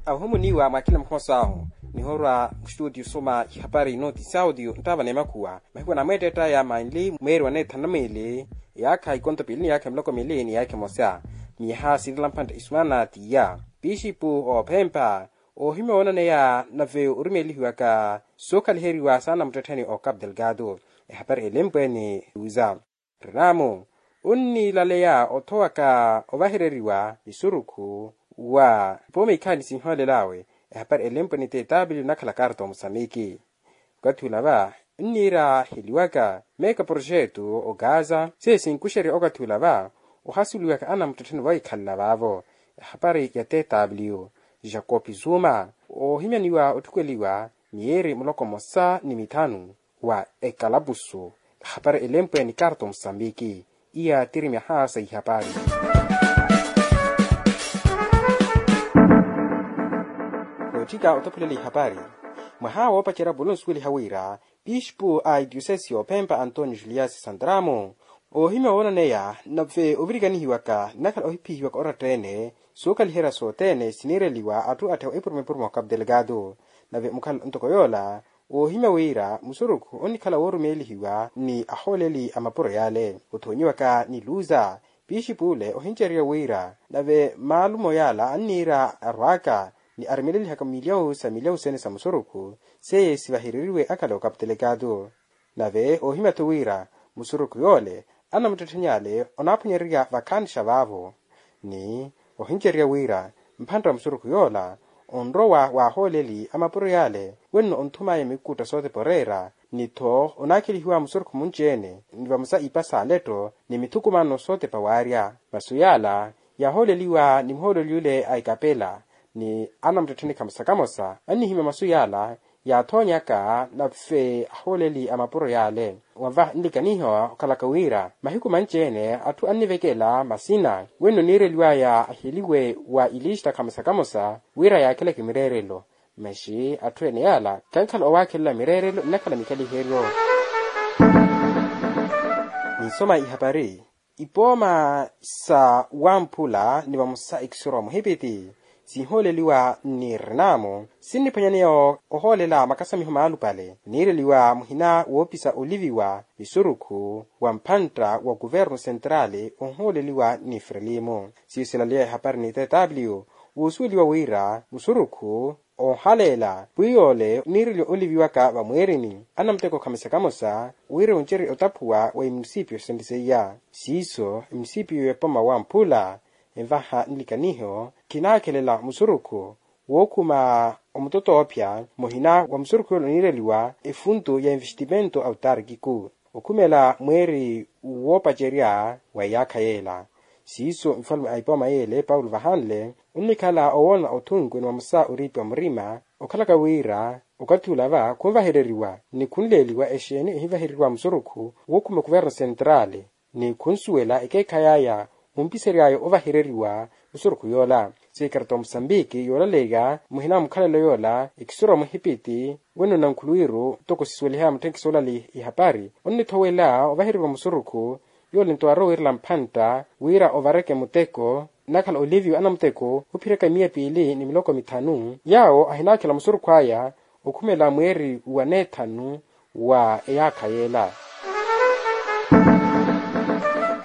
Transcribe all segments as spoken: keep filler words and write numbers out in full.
Ahumuniwa mwa kila mukhosaahu, nihoorwa muxituti osoma ihapari ino ti saudio nttaava n'emakhuwa. Mahiku anamweetteett'aya manli mweeri wa neethanu na miili, eyaakha ikonto piili ni eyaakha miloko miili ni eyaakha emosa. Miyaha siirela mphantta isumana t'iya. Pixipu oophempa, oohimya woonaneya nave orumeelihiwaka sookhaliheriwa saana muttettheni o capu delgado. Ehapari elempwe ni luza. Renamo, onniilaleya othowaka ovahereriwa misurukhu wa ipooma ikhaani sinhoolel'awe. Ehapari elempwe ni tetaapili onakhala karta omusamiki. Okathi ula va nniira heliwaka meeka proxeto ogaza seiyo sinkuxerya okathi ula va ohasuweliwaka anamuttettheni vohikhalela vaavo. Ehapari ya tetaapili. Jacopi zuma, oohimyaniwa otthukweliwa miyeeri muloko mmosa ni mitthanu wa ekalapusu. Ehapari elempwe ni karta omusambiki. Iya tiri myaha sa ihapari. Nootthika otophelela ihapari. Mwaha woopacerya polo onsuweliha wira pispu a itiosesi yoophempa antonio juliasi santramo, oohimya woonaneya nave ovirikanihiwaka nnakhala ohiphihiwaka oratta-ene. Sookaliherya sothene siniireliwa atthu atthewa epurumo epurumo wa capu delgado. Nave mukhala ntoko yoola, woohimya wira musurukhu onnikhala woorumeelihiwa ni ahooleli a mapuro yaale othoonyiwaka ni luza. Pixipu ule ohincererya wira nave maalumo yaala anniira arwaaka ni arimelelihaka milyawu sa milyawu sene sa musurukhu seye sivahereriwe akhala okapu telekatu. Nave oohimya-tho wira musurukhu yoole anamuttettheni ale onaaphwanyererya vakhaanixa vaavo. Ni ohincererya wira mphantta wa musurukhu yoola onrowa waahooleli a mapuro yaale wenno onthumaaya mikutta sootepa oreera. Ni-tho onaakhelihiwa musurukhu munci-ene ni vamosa ipa s'aletto ni mithukumano sootepa waarya. Masu yaala yaahooleliwa ni muhooleli ule a ikapela ni anamuttettheni kamosa kamosa annihimya masu yaala yaathoonyaka nave ahooleli a mapuro yaale. Wava nlikaniho okhalaka wira mahiku manci-ene atthu annivekela masina wenno niireliwaya aheliwe wa ilista kamosa kamosa wira yaakheleke mireerelo. Masi atthu ene yaala khankhala owaakhelela mireerelo nnakhala mikhaliheryo. Ninsoma ihapari. Ipooma sa wamphula ni vamosa ekisoro wa muhipiti sinhooleliwa ni renamo sinniphwanyaneya ohoolela makasamiho maalupale niireliwa muhina woopisa oliviwa misurukhu wa mphantta wa kuvernu sentrali onhooleliwa ni frelimo. Siyo silaleya ehapari ni tetaapiliyo woosuweliwa wira musurukhu onhaleela pwiya ole niireliwa oliviwaka vamweerini anamuteko khamosa kamosa wira oncerye otaphuwa wa imunisipiyo senteseiya. Siiso imunisipiyo ya epoma wamphula envaha nlikaniho khinaakhelela musurukhu wookhuma omutotoophya muhina wa musurukhu yoole oniireliwa efuntu ya investimento autarkiku okhumela mweeri woopacerya wa eyaakha yeela. Siiso nfalume a ipooma yeele paulo vahanle onnikhala owoona othunku ni vamosa oriipiwa murima okhalaka wira okathi ula va khunvahereriwa ni khunleeliwa exeeni ehinvahereriwa musurukhu wookhuma kuverno sentrali ni khunsuwela ekeekhayi aya ompisery'aya ovahereriwa musurukhu yoola. Sikarata wa musambiki yoolaleya muhina wa mukhalelo yoola ekisoro wa muhipiti wenno nankhuluwiru ntoko sisuwelihaya mutthenkisi olali ihapari onnithowela ovahereriwa musurukhu yoole nto aarowa wiirela mphantta wira ovareke muteko nnakhala oliviwa anamuteko ophiryaka miya piili ni miloko mithanu yaawo ahinaakhela musurukhu aya okhumela mweeri wa neethanu wa eyaakha yeela.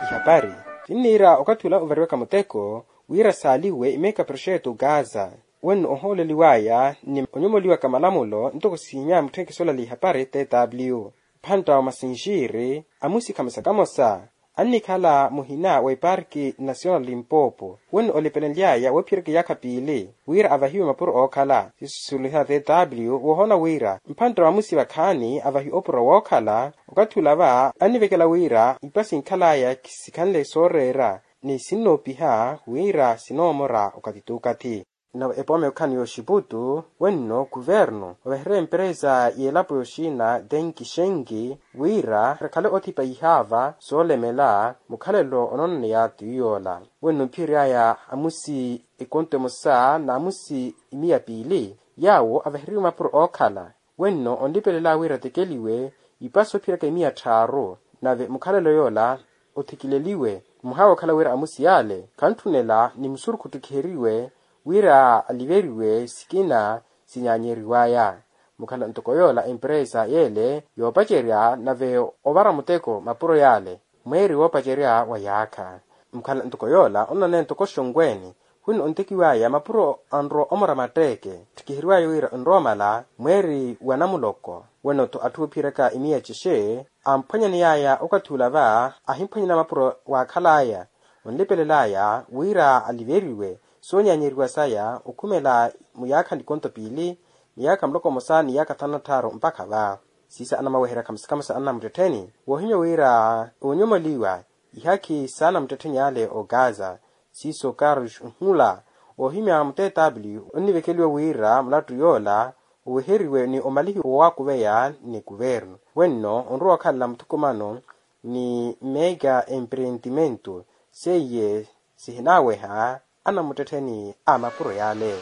Ihapari sinniira okathi ula ovariwaka muteko wira saaliwe imeeka proxeto gaza wenno ohooleliwaya ni onyomoliwaka malamulo ntoko siinya mutthenkisi olali ihapari tetaapiliyo. Mphantta wa masinxiiri amusi khamosa kamosa annikhala muhina wa eparki nasional limpopo wenno olipelenly'aya woophiyerya kiyaakha piili wira avahiwe mapuro ookhala sisusuliha tetaapiliyo woohoona wira mphantta wa amusi vakhaani avahiwe opuro wookhala. Okathi ula va annivekela wira ipa sinkhal'aya sikhanle sooreera ni sinnoopiha wira sinoomora okathi t'ukathi. Nave epooma yookhala ni yooxiputu wenno kuvernu ovahererya emperesa y'elapo yoxina denki xenki wira ekhale othipa ihaava soolemela mukhalelo onoonaneya t'uyoola wenno mphiyery'aya amusi ekonto emosa n'amusi imiya piili yaawo avahereriwe mapuro ookhala wenno onlipelela wira atekeliwe ipa soophiyeryaka imiya tthaaru nave mukhalelo yoola othikileliwe muhaawa okhala wira amusi yaale khantthunela ni musurukhu ottikiheriwe wira aliveriwe sikina sinyaanyeriwaya. Mukhala ntoko yoola empresa yeele yoopacerya nave ovara muteko mapuro yaale mweeri woopacerya wa yaakha. Mukhala ntoko yoola onanene ntoko xonweeni wino ontekiwaya mapuro anrowa omora matteeke ttikiheriwaya wira onrowa omala mweeri wa namuloko. Weno-tho atthu oophiyeryaka imiya cexe amphwanyaneyaya okathi ula va ahimphwanyana mapuro waakhalaya onlipelelaya wira aliveriwe soonyaanyeriwa saya okhumela muyaakha nikonto piili miyaakha muloko mmosa ni yaakha thanu na tthaaru mpakha va. Siisa anamaweherya khamusi khamusi anamuttettheni woohimya wira oonyomoliwa ihakhi saanamuttettheni ale ogaza. Siiso carlos nhula oohimya mu tw onnivekeliwa wira mulattu yoola oweheriwe ni omalihiwa owaakuveya ni kuvernu wenno onrowa okhalela muthukumano ni mega empreentimento seiye sihinaaweha anamuttettheni a mapuro yaale.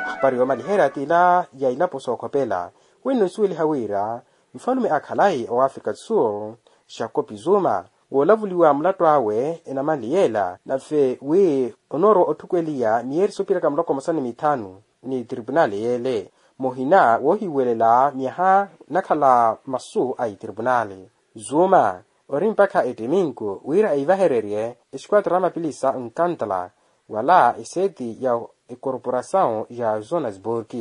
Hapari yoomaliherya t'ila ya ilapo sookhopela wenno nsuweliha wira nfalume a khalayi owa africa sur jacob zuma woolavuliwa mulattu awe enamanli yeela nave wi onoorowa otthukweliya miyeeri soopiheraka muloko mmosa ni mithanu ni tripunali yeele muhina woohiwelela myaha nakhala masu a itripunali. Zuma ori mpakha ettiminku wira eivahererye esquadra ya mapilisa nkantala wala eseeti ya ekorporasawu ya johannesburg.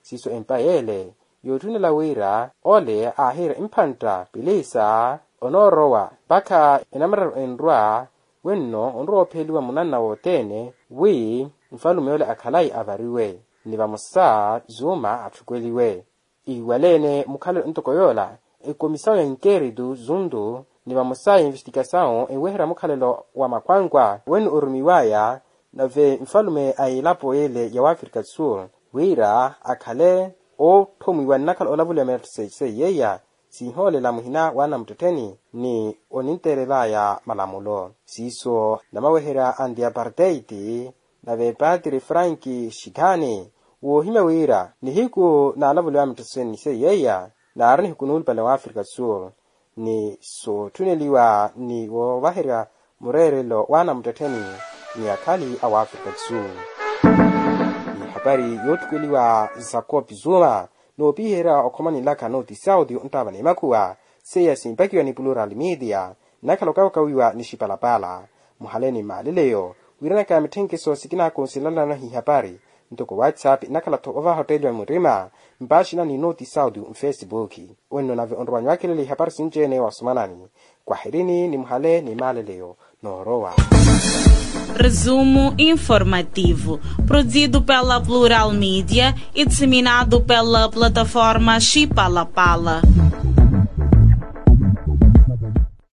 Siiso empa yeele yootthunela wira ole aahiira emphantta pilisa onoorowa mpakha enamararu enrwa wenno onrowa oopheliwa munanna wothene wi nfalume ole akhalayi avariwe ni vamosa zuma atthukweliwe. Iwaleene mukhalelo ntoko yoola ekomisawu ya inkeritu zuntu ni vamosa ya investikasawu enweherya mukhalelo wa makhwankwa wene orumiwaya nave nfalume a elapo yeele ya wafrika sur wira akhale ootthomwiwa nnakhala olavuliwa meettho seiye seiya sinhoolela muhina wa anamuttettheni ni oninteerelaya malamulo siiso namaweherya anti apartheid nave patiri franki shikhani woohimya wira nihiku naalavuliwa mitthoseni seiya naari nihiku nuulupale wa afrika sur ni sootthunneliwa ni woovaherya mureerelo wa anamuttettheni ni akhali a wafrika sur. Ni hapari yootthukweliwa jacob zuma noopiherya okhoma ninlaka nooti saudi onttaava ni makhuwa seiya simpakiwa ni plural media nnakhala okawakawiwa ni xipalapala muhale ni maaleleyo wiiranaka mitthenkhiso sikinakonsilanlana hihapari ntoko whatsapp nnakhala-tho ovaha otteeliwa murima mpaaxina ni nooti saudi nfesibuki wenno nave onrowa nywaakhelele ihapari sinci-ene wasomanani kwahirini ni muhale ni maaleleyo noorowa. Resumo informativo, produzido pela plural media e disseminado pela plataforma xipalapala.